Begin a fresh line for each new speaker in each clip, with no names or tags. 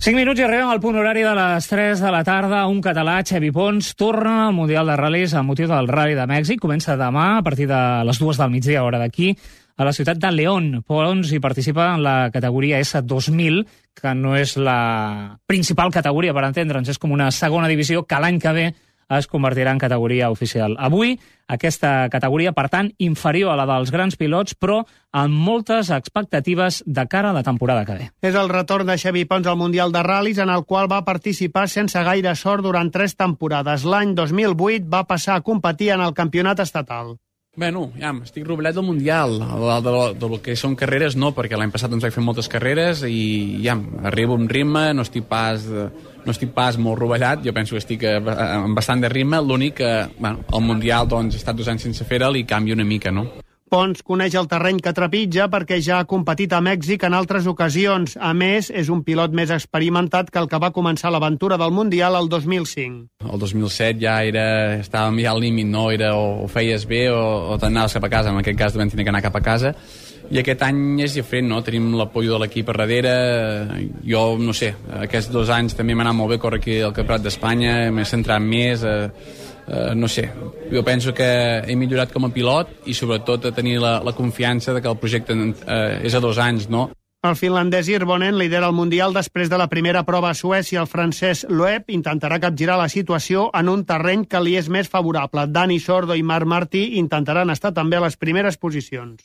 5 minuts i arribem al punt horari de les 3 de la tarda. Un català, Xevi Pons, torna al Mundial de Ral·lis amb motiu del Rally de Mèxic. Comença demà a partir de les 2 del migdia, hora d'aquí, a la ciutat de León. Pons hi participa en la categoria S2000, que no és la principal categoria, per entendre'ns, és com una segona divisió que l'any que ve es convertirà en categoria oficial. Avui, aquesta categoria, per tant, inferior a la dels grans pilots, però amb moltes expectatives de cara a la temporada que ve.
És el retorn de Xevi Pons al Mundial de Ral·lis, en el qual va participar sense gaire sort durant 3 temporades. L'any 2008 va passar a competir en el campionat estatal.
Bueno, ja, estic rovellat del Mundial. Del que són carreres no, perquè l'any passat ens vaig fer moltes carreres i ja, arribo amb ritme, no estic pas molt rovellat, jo penso que estic amb bastant de ritme, l'únic que el Mundial doncs, he estat 2 anys sense fer-lo i canvia una mica, no?
Pons coneix el terreny que trepitja perquè ja ha competit a Mèxic en altres ocasions. A més, és un pilot més experimentat que el que va començar l'aventura del Mundial el 2005.
El 2007 ja estàvem ja al límit, no? Era o feies bé o t'anaves cap a casa. En aquest cas vam tenir que anar cap a casa. I aquest any és diferent, no? Tenim l'apoyo de l'equip a darrere. Jo, no sé, aquests 2 anys també m'ha anat molt bé córrer aquí al Campionat d'Espanya, m'he centrat més... no sé, jo penso que he millorat com a pilot i sobretot a tenir la confiança de que el projecte és a 2 anys, no?
El finlandès Hirvonen lidera el Mundial després de la primera prova a Suècia. El francès Loeb intentarà capgirar la situació en un terreny que li és més favorable. Dani Sordo i Marc Martí intentaran estar també a les primeres posicions.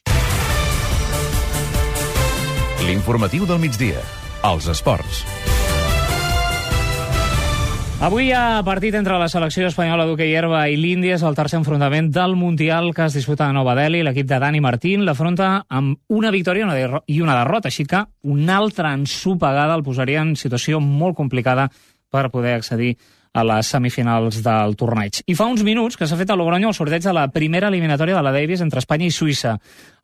L'informatiu del migdia. Els esports.
Avui hi ha partit entre la selecció espanyola d'hoquei herba i l'Índia. És el tercer enfrontament del Mundial que es disputa a Nova Delhi. L'equip de Dani Martín l'afronta amb una victòria i una derrota, així que una altra ensopegada el posaria en situació molt complicada per poder accedir a les semifinals del torneig. I fa uns minuts que s'ha fet a Logroño el sorteig de la primera eliminatòria de la Davis entre Espanya i Suïssa.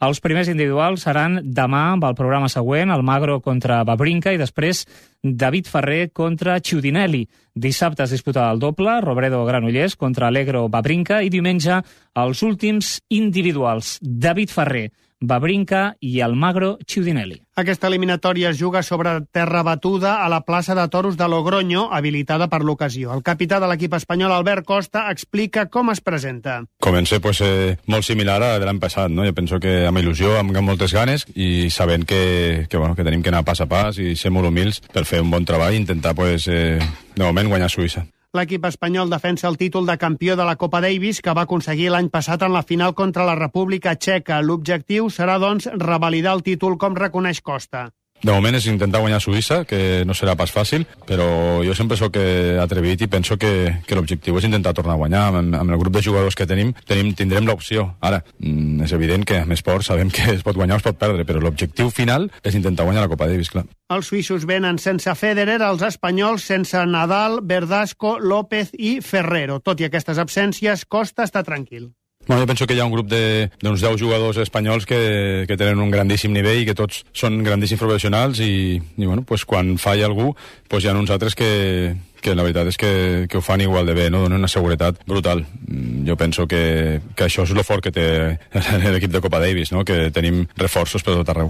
Els primers individuals seran demà amb el programa següent, Almagro contra Wawrinka i després David Ferrer contra Ciudinelli. Dissabte es disputa el doble, Robredo Granollers contra Allegro Wawrinka i diumenge els últims individuals, David Ferrer, Wawrinka i Almagro Ciudinelli.
Aquesta eliminatòria es juga sobre terra batuda a la plaça de toros de Logroño, habilitada per l'ocasió. El capità de l'equip espanyol, Albert Costa, explica com es presenta.
Comença molt similar a l'any passat, no? Jo penso que amb il·lusió, amb moltes ganes i sabent que tenim que anar pas a pas i ser molt humils per fer un bon treball i intentar, de moment, guanyar Suïssa.
L'equip espanyol defensa el títol de campió de la Copa Davis que va aconseguir l'any passat en la final contra la República Txeca. L'objectiu serà, doncs, revalidar el títol, com reconeix Costa.
De moment és intentar guanyar Suïssa, que no serà pas fàcil, però jo sempre sóc atrevit i penso que l'objectiu és intentar tornar a guanyar. Amb el grup de jugadors que tindrem l'opció. Ara, és evident que amb esport sabem que es pot guanyar o es pot perdre, però l'objectiu final és intentar guanyar la Copa Davis, clar.
Els suïssos venen sense Federer, els espanyols sense Nadal, Verdasco, López i Ferrero. Tot i aquestes absències, Costa està tranquil.
Jo penso que hi ha un grup d'uns 10 jugadors espanyols que tenen un grandíssim nivell i que tots són grandíssims professionals i quan falla algú hi ha uns altres que la veritat és que ho fan igual de bé, no? Donen una seguretat brutal. Jo penso que això és el fort que té l'equip de Copa Davis, no? Que tenim reforços per tot arreu.